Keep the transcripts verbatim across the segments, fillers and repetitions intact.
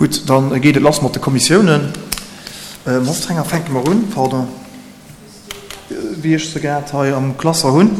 Gutt, da geet et lass mat de Kommissiounen. Mme Hofstenger, fänke mer un, pardon, wéi ech se grad hei am Klasser hunn.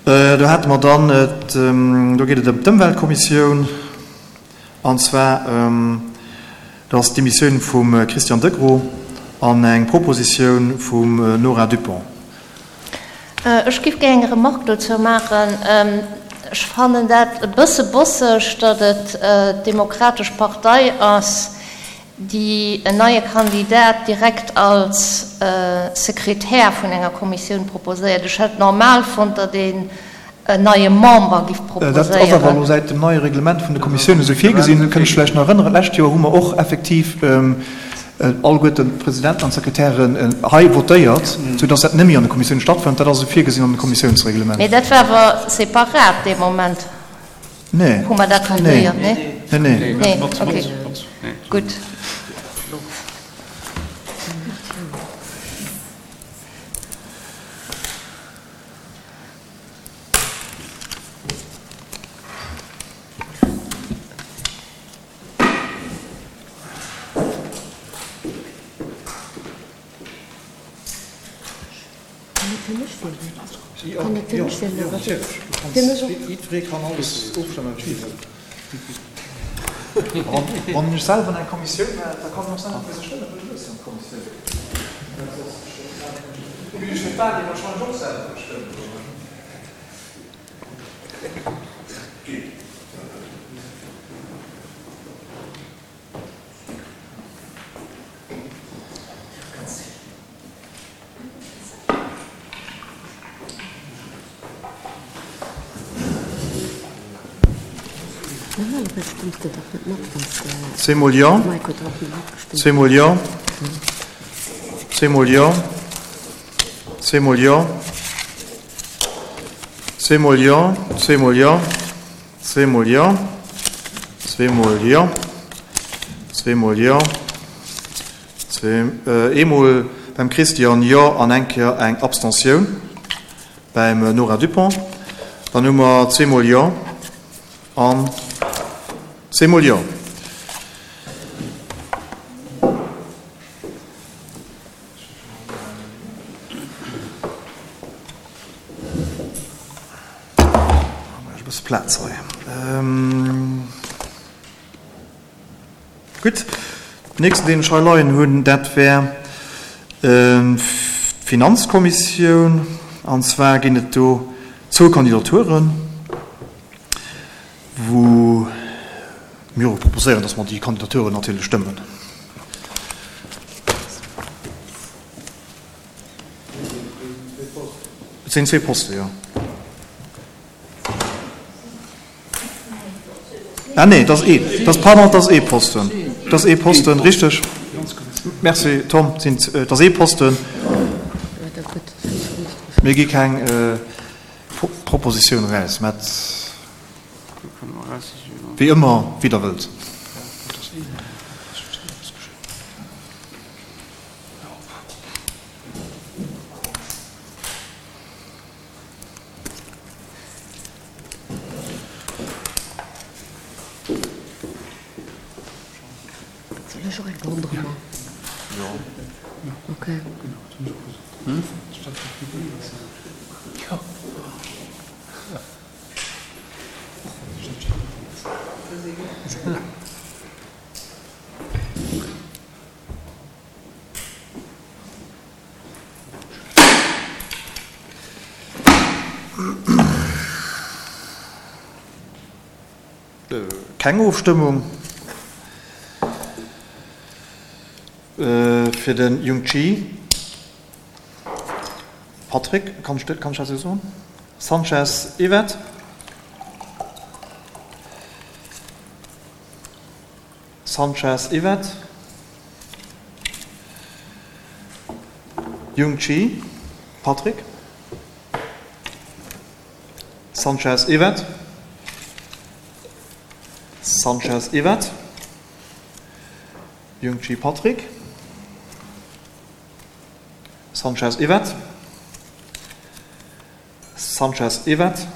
Do hate mer dann, do geet et ëm d'Ëmweltkommissioun, an zwar, dat ass d'Demissioun vum Christian Degros an eng Propositioun vum Nora Dupont. Ech géif gär eng Remarque dozou maachen. Ech fannen dat e bësse bosseg, datt et d'Demokratesch Partei ass, déi en neie Kandidat direkt als Sekretär vun enger Kommissioun proposéiert. Ech hätt normal fonnt, datt een en neie Member giff Dat ass awer proposéieren. elo säit dem neie Reglement vun de Kommissiounen esou virgesinn. Kënnt ech vläicht nach erënneren, d'lescht Joer hu mer och effektiv alleguerten d'Presidenten an d'Sekretären hei votéiert, soudass dat net méi an de Kommissiounen stattfënnt. Dat ass esou virgesinn an dem Kommissiounsreglement. Mee dat war awer separat dee Moment, Nee. wou mer dat votéiert, nee? Nee, nee. Nee, okay. Gutt. Jiddweree kann alles ofstëmmen, wat hie wëllt. Wann ech selwer an eng Kommissioun war, da kann en och selwer fir sech stëmmen, well du hues jo eng Kommissioun. Ech war dir wahrscheinlech och selwer gestëmmt. Zweemol jo, zweemol jo, zweemol jo, zweemol jo, zweemol jo, zweemol jo, zweemol jo, zweemol jo, zweemol jo, zwee, eemol beim Christian jo an eng Kéier eng Abstentioun beim Nora Dupont. Dann hu mer zweemol jo an zweemol jo. E bësse Plaz hei. Gutt, den nächsten, deen ech hei leien hunn, dat wär d'Finanzkommissioun. An zwar ginn et do zwou Kandidaturen, wou mir och proposéieren, dass mer déi Kandidaturen natierlech stëmmen. Et sinn zwee Posten, jo. Ah nee, et ass ee, et ass, pardon, et ass ee Posten. Et ass ee Posten, richteg. Merci, Tom. Et sinn, et ass ee Posten. Mir gi keng Propositioun eraus, mä wéi ëmmer, wéi Der wëllt. Keng Ofstëmmung fir de Jung Chi Patrick, kann ech dat esou soen? Sanchez Yvette. Sanchez Yvette. Jung Chi Patrick. Sanchez Yvette. Sanchez Yvette. Jung Chi Patrick. Sanchez Yvette. Sanchez Yvette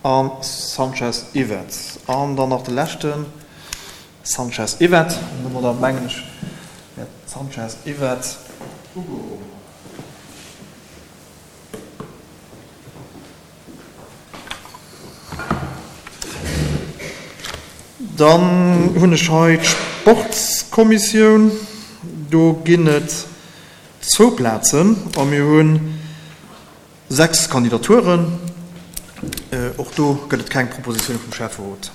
an Sanchez Yvette. An dann nach de leschten, Sanchez Yvette. An domadder, mengen ech, wär d'Sanchez Yvette ugeholl. Dann hunn ech hei d'Sportskommissioun. Do ginn et zwou Plazen a mir hu sechs Kandidaturen. Och do gëtt et keng Propositioun vum Schäfferot.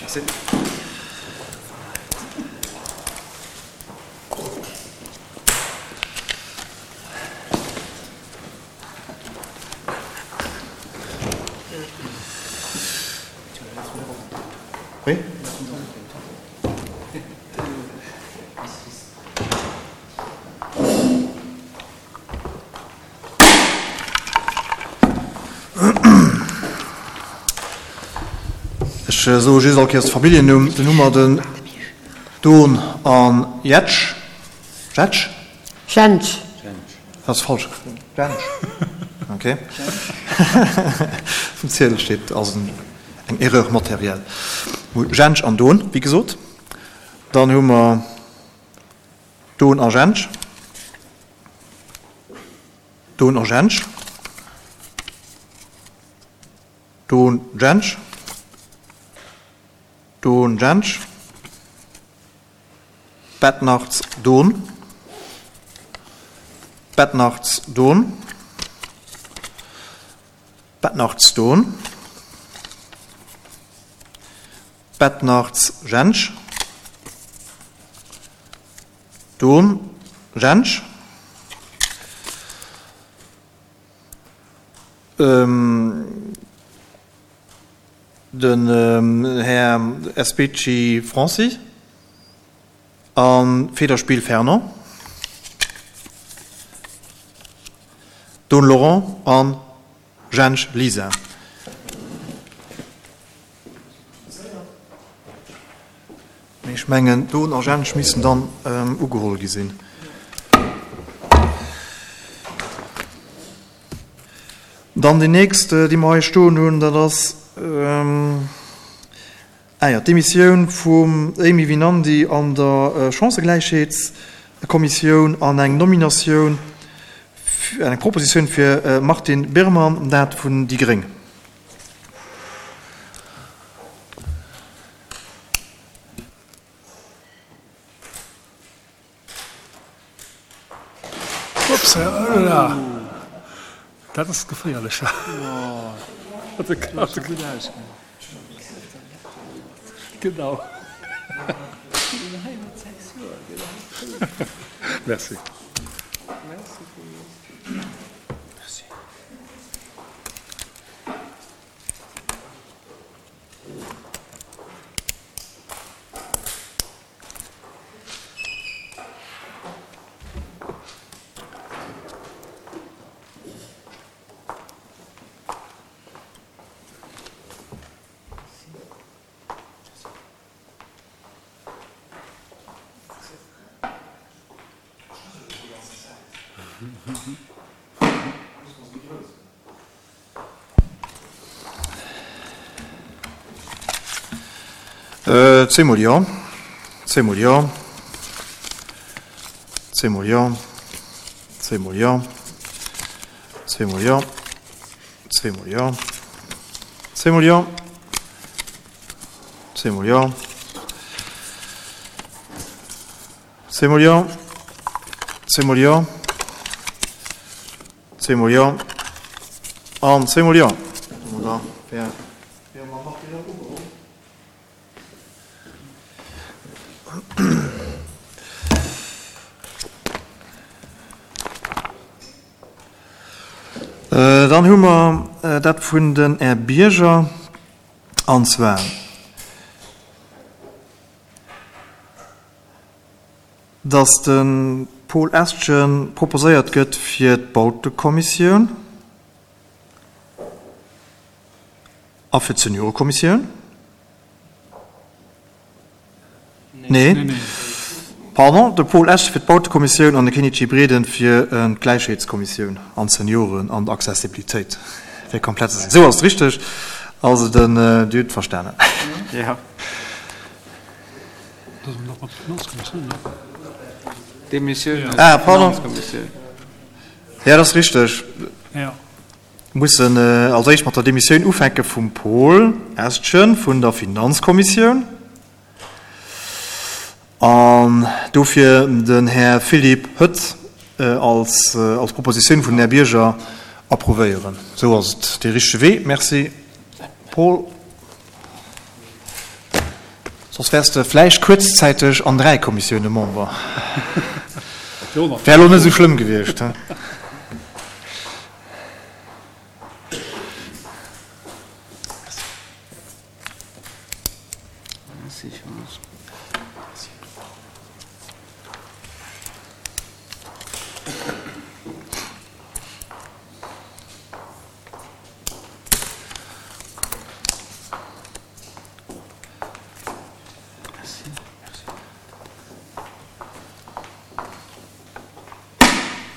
Merci. Oui? Ech soe just all Kéiers de Familljennumm. Dann hu mer den Don an Jetsch. Jetsch? Jentsch. Dat ass falsch. Jentsch. Okay. Vum Ziedel steet, ass eng Erreur matérielle. Jentsch an Don, wéi gesot. Dann hu mer Don a Jentsch. Don a Jentsch. Don, Jentsch. Don, Jentsch. Bettnarz, Don. Bettnarz, Don. Bettnarz, Don. Bettnarz, Jentsch. Don, Jentsch. Den Här Especi Francis a Federspiel Fernand. Don Laurent a Jentsch Lisa. Mee ech mengen, Don a Jentsch missten dann ugeholl gi sinn. Dann déi nächst, déi mer hei stoen hunn, dat ass, ah jo, d'Demissioun vum Amy Winandy an der Chancëgläichheetskommissioun an eng Nominatioun, eng Propositioun fir Martine Birman, dat vun déi gréng. Ups, hola. Dat ass geféierlech. Genau. Merci. Zweemol jo, zweemol jo, zweemol jo, zweemol jo, zweemol jo, zweemol jo, zweemol jo, zweemol jo, zweemol jo, zweemol jo, zweemol jo an zweemol jo. Domadder wär wär mer Martine ugeholl. Dann hu mer dat vun den Här Bierger, an zwar dass de Paul Estgen proposéiert gëtt fir d'Bautekommissioun a fir d'Seniorekommissioun. Nee. Pardon, de Paul Esch fir d'Bautekommissioun an de Kenichi Breden fir d'Gläichheetskommissioun an d'Senioren an d'Accessibilitéit. Fir komplett ze sinn. Esou ass et richteg. Also den, Dir hutt verstanen. Ja. Demissioun aus Ah, pardon. Finanzkommissioun. Ja, dat ass richteg. Ja. Mussen als éischt mat der Demissioun ufänke vum Paul Estgen vun der Finanzkommissioun an dofir den Här Philippe Hött als als Propositioun vun den Här Bierger approuvéieren. Esou ass et dee richtege Wee. Merci, Paul. Soss wäers de vläicht kuerzzäiteg an dräi Kommissioune Member. Wär elo net esou schlëmm gewiescht, he?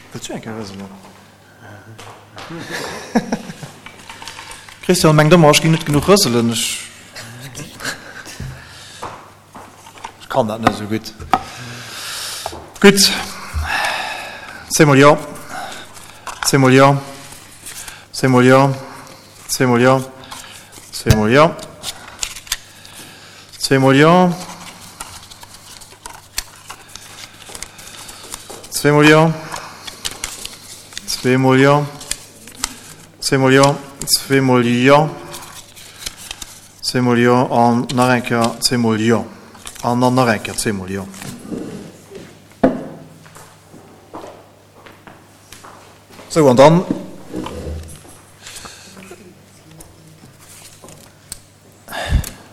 Wëlls du eng Kéier rëselen? Christian mengt ëmmer, ech géing net genuch rëselen. Ech kann dat net esou gutt. Gutt, zweemol jo, zweemol jo, zweemol jo, zweemol jo, zweemol jo, zweemol jo, zweemol jo, zweemol jo, zweemol jo, zweemol jo, zweemol jo an nach eng Kéier zweemol jo an dann nach eng Kéier zweemol jo. Sou, an dann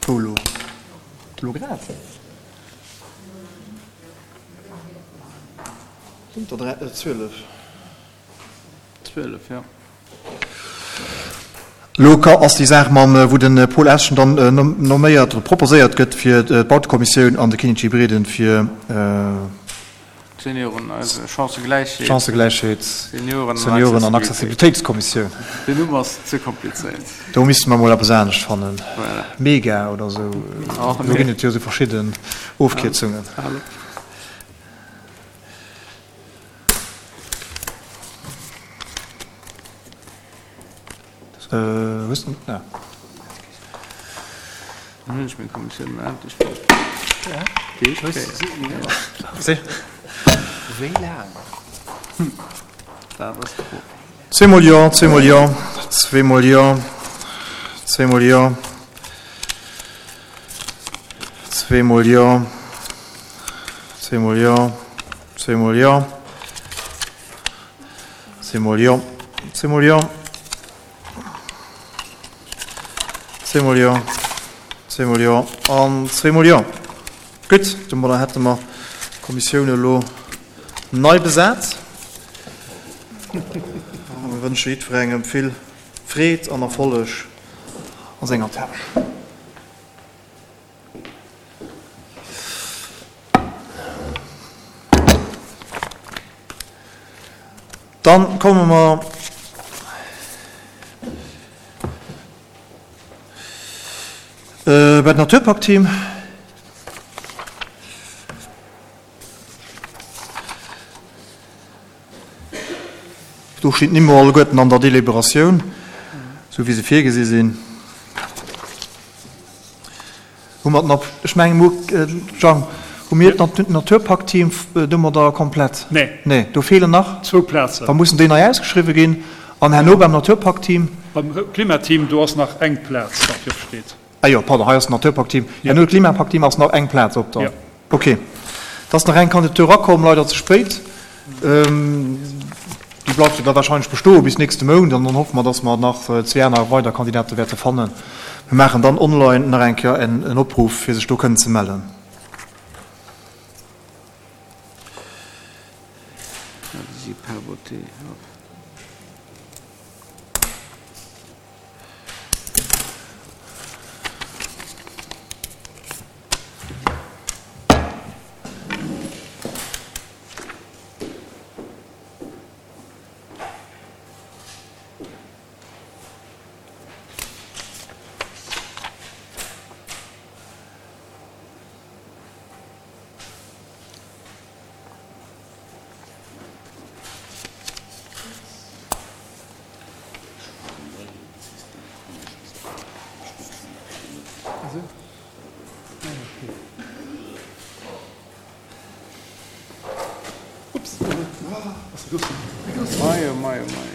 wou elo? Elo grad? Sinn der dräi, zwielef? Zwielef, jo. Elo ass déi Saach mam, wou de Paul Eschen dann nomméiert oder proposéiert gëtt fir d'Bautekommissioun an de Kinichi Breden fir d'Senioren, also Chancëgläichheet, Chancëgläichheet, Senioren Senioren an Accessibilitéitskommissioun. Den Numm ass ze komplizéiert. Do misste mer mol eppes anescht fannen. Voilà. Mega oder esou. Do ginn et jo esou verschidden Ofkierzungen. Hues de na. Dann hunn ech meng Kommissioun mol endlech fonnt. Déi éischt Kéier. Wéi laang? Dat ass d'Fro. Zweemol jo, zweemol jo, zweemol jo, zweemol jo, zweemol jo, zweemol jo, zweemol jo, zweemol jo, zweemol jo, zweemol jo, zweemol jo an zweemol jo. Gutt, domadder hätte mer d'Kommissioun elo nei besat. A mir wënsche jiddwerengem vill Freed an Erfolleg a senger Tâche. Dann komme mer bei d'Naturpakt-Team. Do stinn d'Nimm alleguerten an der Deliberatioun, esou wéi se virgesi sinn. Hu mer d'Nat-, ech mengen, hu, Jang, hu mir d'Naturpakt-Team domadder komplett? Nee. Nee, do feelen nach? Zwou Plazen. Da mussen déi nei ausgeschriwwe ginn. An herno beim Naturpakt-Team? Beim Klimateam, do ass nach eng Plaz, wat fir opsteet. Ah jo, pardon, hei ass d'Naturpakt-Team. Herno d'Klimapakt-Team ass nach eng Plaz op dann. Jo. Okay. Et ass nach eng Kandidatur erakomm, leider ze spéit. Déi bleift jo da wahrscheinlech bestoe bis nächste Mount an dann hoffe mer, dass mer nach zwee aner weider Kandidate wäerte fannen. Mir maachen dann online nach eng Kéier en Opruff, fir sech do kënnen ze mellen. T, ja. Mei, oh mei, oh mei.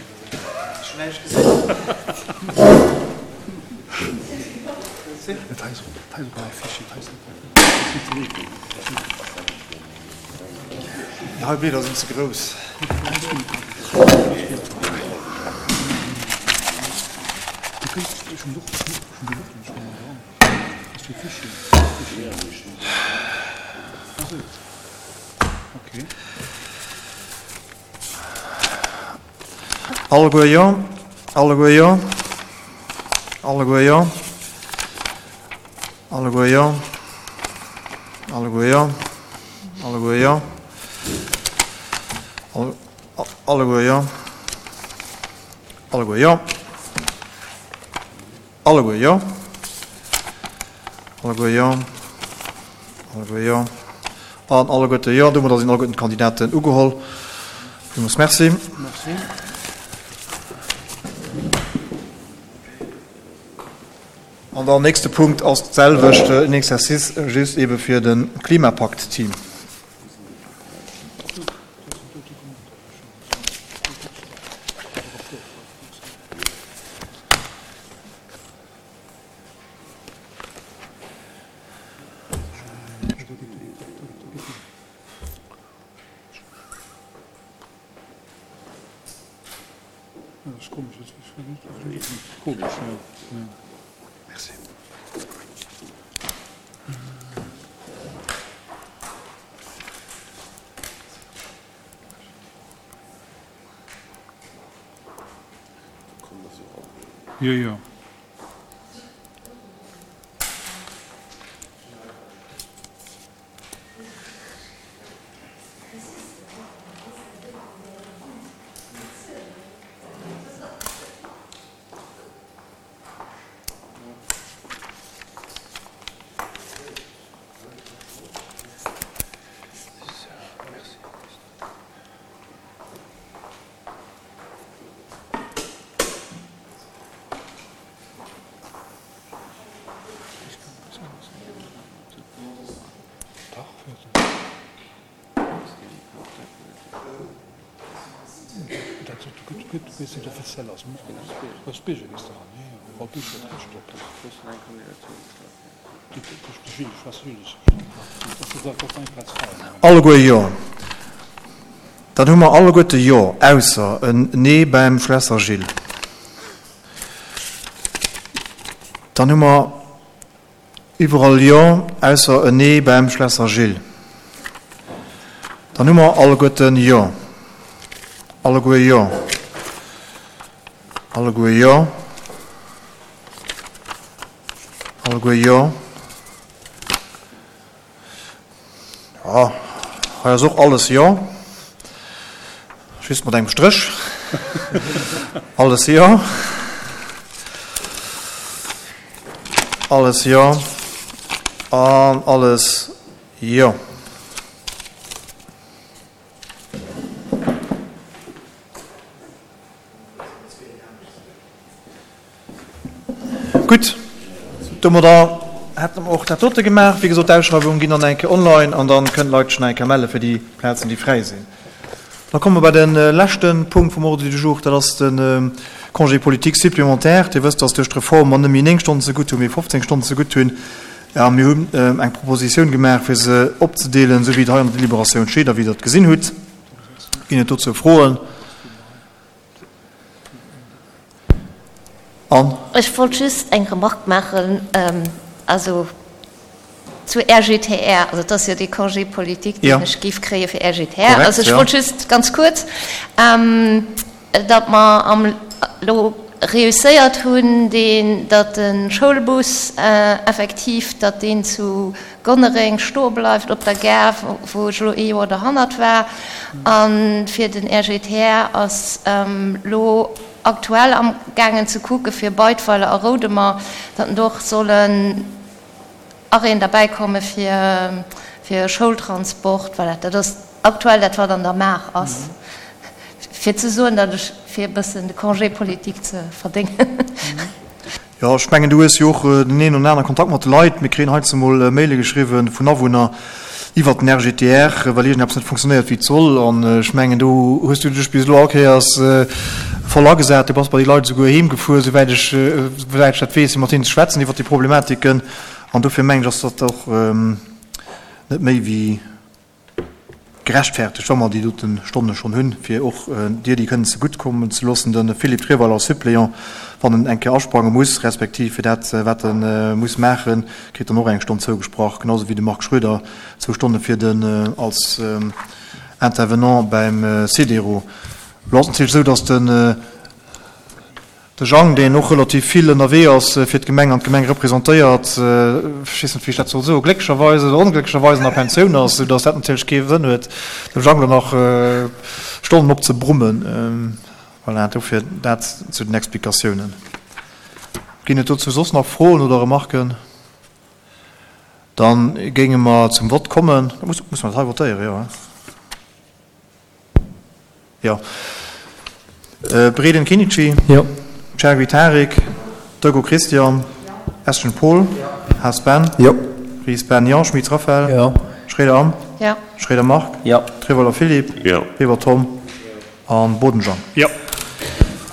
Déi hei Blieder sinn ze grouss. Alleguer jo, alleguer jo, alleguer jo, alleguer jo, alleguer jo, alleguer jo, alleguer jo, alleguer jo, alleguer jo, alleguer jo, alleguer jo an alleguerte jo. Domadder sinn alleguerten d'Kandidaten ugeholl. Villmools Merci. Merci. An dann nächste Punkt ass d'selwecht, en Exercice just ebe fir de Klimapakt-Team. Merci. Jo, jo. Alleguer Jo. Dann hu mer alleguerte Jo, ausser en Nee beim Schlesser Gilles. Dann hu mer iwwerall Jo, ausser en Nee beim Schlesser Gilles. Dann hu mer alleguerten Jo. Alleguer Jo. Alleguer Jo. Alleguer Jo. Ja, hei ass och alles Jo. Just mat engem Stréch. Alles Jo. Alles Jo. An alles Jo. Gutt, domadder hätte mer och dat dote gemaach. Wéi gesot, d'Ausschreiwungen ginn dann eng Kéier online an dann kënnen d'Leit sech nach eng Kéier melle fir déi Plazen, déi fräi sinn. Da komme mer bei de leschte Punkt vum Ordre du jour, dat ass de Congé politique supplémentaire. Dir wësst, dass duerch d'Reform mer net méi néng Stonnen zegutt hunn, mee fofzéng Stonnen zegutt hunn. A mir hunn eng Propositioun gemaach, fir se opzedeelen, esou wéi et hei an der Deliberatioun steet a wéi Der et gesinn hutt. Ginn et dozou Froen? An? Ech wollt just eng Remarque maachen. Also, Zu RGTR, also et ass jo dee Congé politique, deen Ja. ech géif kréie fir RGTR. Korrekt, Also ech ja. wollt just ganz kuerz, datt mer am elo reusséiert hunn, deen, datt de Schoulbus effektiv, datt deen zu Gonnereng stoe bleift op der Gare, wou ech elo ee Joer derhannert war. A fir den RGTR ass elo aktuell amgaangen ze kucke fir Beidweiler a Roudemer, datt en do och sollen Arrêten derbäi komme fir fir Schoultransport. Voilà, dat ass aktuell dat, wat an der Maach ass, fir ze soen, datt ech, fir e bëssen de Congé politique ze verdéngen. Jo, ech mengen, du hues jo och den een oder anere Kontakt mat de Leit. Mir kréien heiansdo mol Maile geschriwwen vun Awunner iwwert den RGTR, well iergendeppes net funktionéiert wéi et soll. An ech mengen, do hues du dech bis elo all Kéiers voll agesat. Du bass bei déi Leit esouguer heem gefuer, souwäit ech, souwäit ech dat weess, fir mat hinnen ze schwätzen iwwert déi Problematiken. An dofir mengen ech, ass dat och net méi wéi gerechtfertegt, wa mer déi dote Stonne schonn hunn, fir och dir déi kënnen zegutt kommen ze loossen. De Philippe Treweiler ass Suppléant, wann en eng Kéier asprange muss, respektiv fir dat, wat e muss maachen, kritt en och eng Stonn zougesprach, genau esou wéi de Marc Schroeder zwou Stonne fir den als Intervenant beim Cedero. Elo ass et natierlech esou, datt de De Jang, deen och relativ vill ënnerwee ass fir d'Gemeng an d'Gemeng representéiert, ech weess net, wéi ech dat soll soen, glécklecherweis oder onglécklecherweis an der Pensioun ass, soudass dat natierlech kee Sënn huet, dem Jang elo nach Stonnen opzebrummen. Voilà, dofir dat zu den Explikatiounen. Ginn et dozou soss nach Froen oder Remarken? Da géinge mer zum Vott kommen. Muss mer dat hei votéieren? Jo, hein? Jo. Breden Kinichi. Jo. Chergui Tarik. Deugo Christian. Eschen Paul. Haas Ben. Jo. Ries Ben. Jo. Schmit Raphaël. Jo. Schroeder Anne. Jo. Schroeder Marc. Jo. Treweiler Philippe. Jo. Weber Tom. A Boden Jean. Jo.